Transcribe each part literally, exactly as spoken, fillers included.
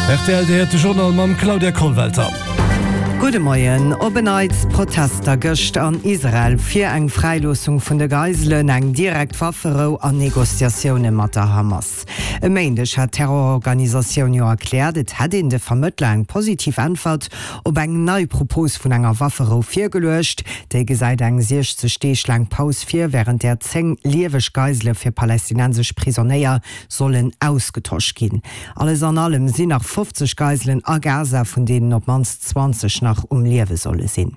Rtl, Dir héiert de Journal mam Claudia Kollwelter. Gudde Moien. Op en Neits Protester gëscht an Israel fir eng Fräiloossung vun de Geiselen, eng direkt Wafferou an Negociatioune mat der Hamas. E Méindeg hat d'Terrororganisatioun jo erkläert, et hätt een de Vermëttler eng positiv Äntwert op eng nei Propos vun enger Wafferou virgeluecht. Déi gesäit eng siechzeg Deeg laang Paus vir, wärend där zéng lieweg Geisele fir palästinensesch Prisonéier sollen ausgetosch ginn. Alles an allem sinn nach fofzeg Geiselen a Gaza, vun deenen op d'mannst zwanzeg nach um Liewe solle sinn.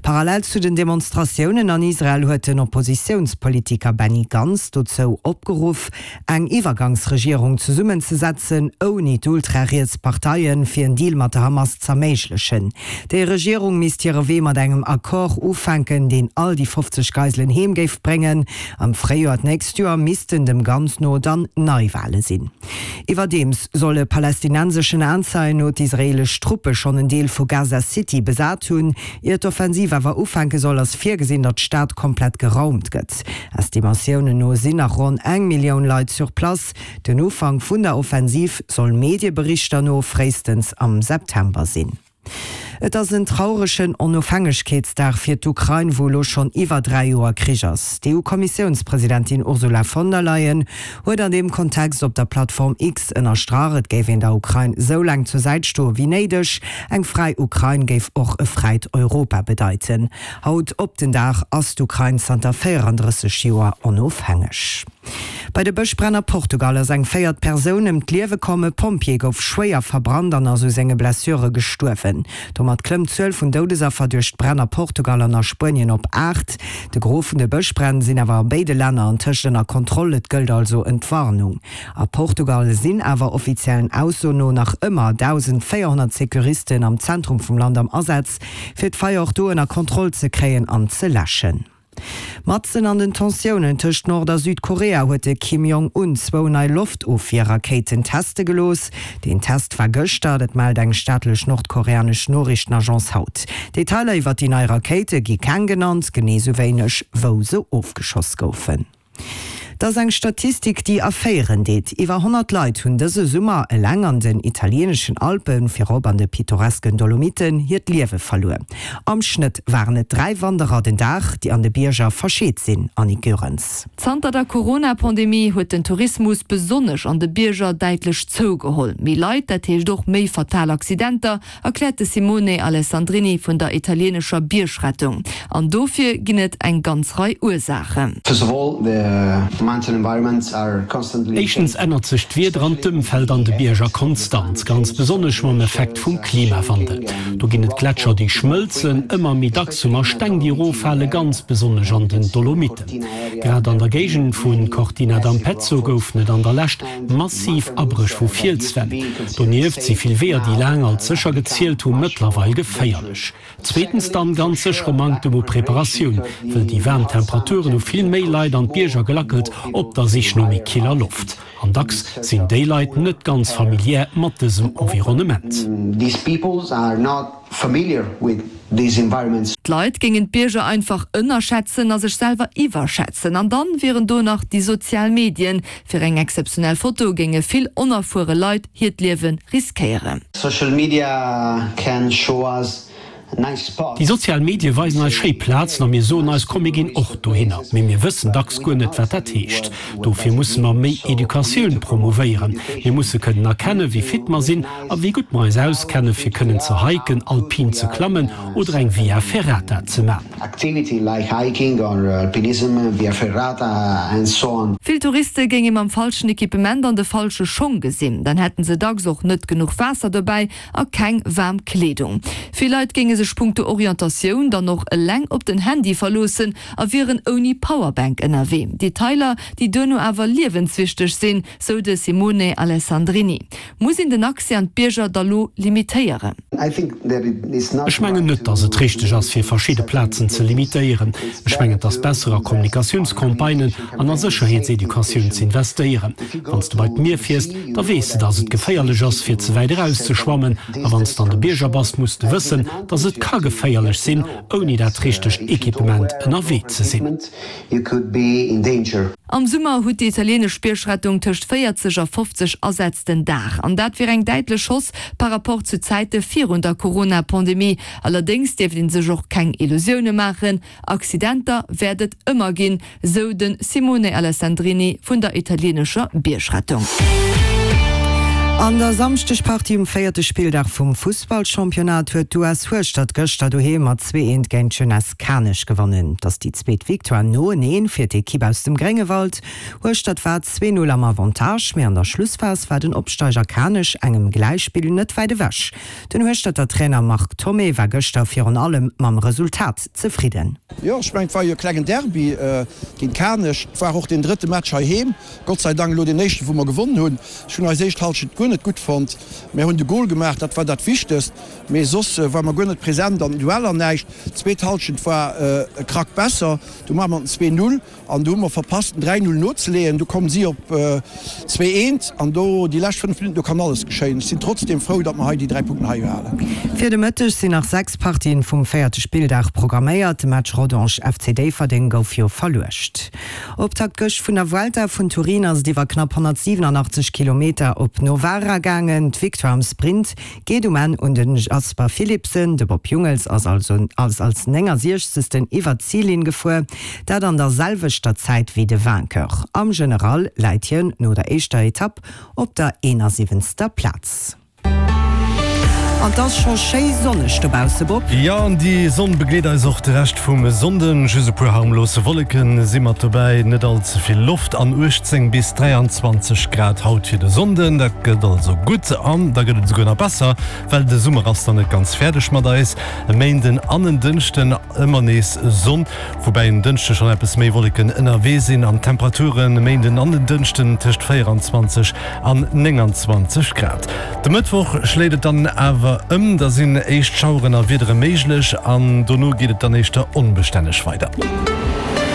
Parallel zu den Demonstratiounen an Israel huet den Oppositiounspolitiker Benny Gantz dozou opgeruff, eng Iwwergangsregierung zesummenzesetzen, ouni d'ultrariets Parteien, fir en Deal mat der Hamas z'erméiglechen. Déi Regierung misst hire Wee mat engem Accord ufänken, deen all déi fofzeg Geiselen heem géif bréngen. Am Fréijoer d'nächst Joer missten dem Gantz no dann Neiwale sinn. Iwwerdeems solle palästinenseschen Aenzeien no d'israeelesch Truppe schonn en Deel vu Gaza City besat hunn. Ier d'Offensiv awer ufänke soll, ass virgesinn, datt d'Stad komplett geraumt gëtt. Estimatiounen no sinn nach ronn eng Millioun Leit sur place. Den Ufank vun der Offensiv soll Medieberichter no fréistens am September sinn. Et ass en trauregen Onofhängegkeetsdag fir d'Ukrain, wou elo schonn iwwer dräi Joer Krich ass. D'EU-Kommissiounspresidentin Ursula von der Leyen huet an deem Kontext op der Plattform X ënnerstrach, et géif een der Ukrain sou laang zur Säit stoe wéi néideg. Eng fräi Ukrain géif och e fräit Europa bedeiten. Haut op den Dag ass d'Ukrain zanter véierandrësseg Joer onofhängeg. Bei de Bëschbränn a Portugal ass eng véiert Persoun ëm d'Liewe komm. E Pompjee gouf schwéier verbrannt an ass u senge Blessure gestuerwen. Domat klëmmt d'Zuel vun Doudesaffer duerch d'Bränn a Portugal an a Spuenien op aacht. De Gros vun de Bëschbränn sinn awer a béide Länner antëscht ënner Kontroll, et gëllt also Entwarnung. A Portugal sinn awer offiziellen Aussoen no nach ëmmer dausendvéierhonnert Securisten am Zentrum vum Land am Asaz, fir d'Feier och do ënner Kontroll ze kréien an ze läschen. Matzen an den Tensiounen tëscht Nord a Südkorea huet de Kim Jong Un zwou nei Loftofwierrakéiten teste gelooss. Deen Test war gëschter, dat mellt eng staatlech nordkoreanesch Noriichtenagence haut. Detailer iwwer déi nei Rakéite gi keng genannt, genee sou wéineg wou se ofgeschoss goufen. Et ass eng Statistik, déi erféieren deet. Iwwer honnert Leit hunn dëse Summer eleng an den italieeneschen Alpen, virop an de pittoresken Dolomiten, hiert Liewe verluer. Am Schnëtt waren et dräi Wanderer den Dag, déi an de Bierger verscheet sinn. Annick Goerens. Zanter der Corona-Pandemie huet den Tourismus besonnesch an de Bierger däitlech zougeholl. Méi Leit, dat heescht och méi fatal Accidenter, erkläert de Simone Alessandrini vun der italieenescher Biergrettung. An dofir ginn et eng ganz Rei Ursaachen. First of all, the Éischtens ännert sech d'Wieder an d'Ëmfeld an de Bierger konstant, ganz besonnesch mam Effekt vum Klimawandel. Do ginn et Gletscher, déi schmëlzen, ëmmer méi dacks hu mer Steng, déi eroffale, ganz besonnesch an den Dolomiten. Grad an der Géigend vu Cortina d'Ampezzo goufen et an der Lescht massiv Abréch vu Fielswänn. Donieft si vill Weeër, déi laang als sécher gezielt hu, mëttlerweil geféierlech. Zweetens dann ganz sécher e Manktem u Preparatioun, wëll déi waarm Temperaturen hu vill méi Leit an d'Bierger gelackelt op der Sich no méi killer Loft. An dacks sinn déi Leit net ganz familiär mat dësem Environnement. D'Leit géingen d'Bierger einfach ënnerschätzen a sech selwer iwwerschätzen. An dann wieren do nach déi sozial Medien. Fir eng exzeptionell Foto géinge vill onerfuere Leit hiert Liewe riskéieren. Social media can show us Déi sozial Medie weisen eis schéi Plazen a mir soen eis, komm mir ginn och dohinner. Mee mir wëssen dacks guer net, wat dat heescht. Dofir musse mer méi Educatioun promouvéieren. Mir musse kënnen erkennen, wéi fit mer sinn a wéi gutt mer eis auskennen, fir kënnen ze hiken, alpin ze klammen oder eng Via Ferrata ze man. Vill Touriste géinge mam falschen Equipement an de falsche Schong gesinn. Dann hätten se dacks och net genuch Waasser dobäi a keng waarm Kleedung. Vill Leit géinge sech punkto Orientatioun dann och eleng op den Handy verloossen a wieren ouni Powerbank ënnerwee. Detailer, déi duerno awer liewenswichteg sinn, sou de Simone Alessandrini. Muss een den Accès an d'Bierger da lo limitéieren? Ech mengen net, datt et richteg ass, fir verschidde Plazen ze limitéieren. Ech mengen, et ass besser, a Kommunikatiounscampagnen an a Sécherheetseducatioun ze investéieren. Wann s de bei d'Mier fiers, da weess de, datt et geféierlech ass, fir ze wäit eraus ze schwammen. A wann s de an de Bierger bass, muss de wëssen, datt et Also et ka geféierlech sinn, ouni dat richtegt Equipement ënnerwee ze sinn. Am Summer huet déi italieenesch Biergrettung tëscht véierzeg a fofzeg Asätz den Dag. An dat wier eng däitlech Hausse par rapport zu Zäite virun der Corona-Pandemie. Allerdéngs dierft ee sech och keng Illusioune maachen, Accidenter wäert et ëmmer ginn, sou de Simone Alessandrini vun der italieenescher Biergrettung. An der Samschdegpartie um véierte Spilldag vum Fussballchampionnat huet d'US Hueschtert gëschter doheem mat zwee eent géint d'Jeunesse Kanech gewonnen. Et ass déi zweet Victoire noeneen fir d'Ekipp aus dem Gréngewald. Hueschtert war zwee Null am Avantage, mee an der Schlussphas war den Opsteiger Kanech engem Gläichspill net wäit ewech. Den Hueschterter Trainer Marc Thomé war gëschter virun allem mam Resultat zefridden. Jo, ech mengen, et war jo e klengen Derby géint Kanech. Et war och deen drëtte Match heiheem. Gott sei Dank elo deen éischten, wou mer gewonnen hunn. Ech hunn eis éischt Halschent guer net gutt fonnt. Mär hunn de Gol gemaach, dat war dat Wichtegst. Mee soss war mer guer net present an den Dueller, näischt. D'zweet Halschent war e Krack besser. Du maache mer den zwee Null an du hu mer verpasst, den dräi Null nozeleeën. Du kommen si op zwee eent an do déi lescht fënnef Minutten, do kann alles geschéien. Ech sinn trotzdeem frou, datt mer hei déi dräi Punkten hei halen. Fir de Mëtteg sinn nach sechs Partien vum véierte Spilldag programméiert. De Match Rodange-FC Déifferdeng gouf jo verluecht. Optakt gëscht vun der Vuelta vun Turin ass et iwwer knapp honnertsiwenanachtzeg Kilometer op Novara gaangen. D'Victoire am Sprint geet um Enn un de Jasper Philipsen. De Bob Jungels ass also ass als néngasiechzegsten iwwer d'Zillinn gefuer, dat an der selwechter Zäit wéi de Vainqueur. Am General läit hien no der éischter Etapp op der eenasiwwenzter Plaz. An 't ass scho schéi sonneg dobausse, Bob. Jo, an déi Sonn begleet eis och de Rescht vum Sonnden. Just e puer harmlose Wolleke si mat dobäi, net all ze vill Loft an uechtzéng bis dräianzwanzeg Grad haut fir de Sonnden. Dat gëtt also gutt an da gëtt et esouguer nach besser, well de Summer ass dann net ganz fäerdeg mat eis. E Méinden an en Dënschden ëmmer nees Sonn, woubäi en Dënschde schonn eppes méi Wolleken ënnerwee sinn an d'Temperaturen e Méinden an den Dënschden tëscht véieranzwanzeg an nénganzwanzeg Grad. De Mëttwoch schléit et dann awer ëm, da sinn éischt Schaueren a Wiedere méiglech an dono geet et dann éischter onbestänneg weider.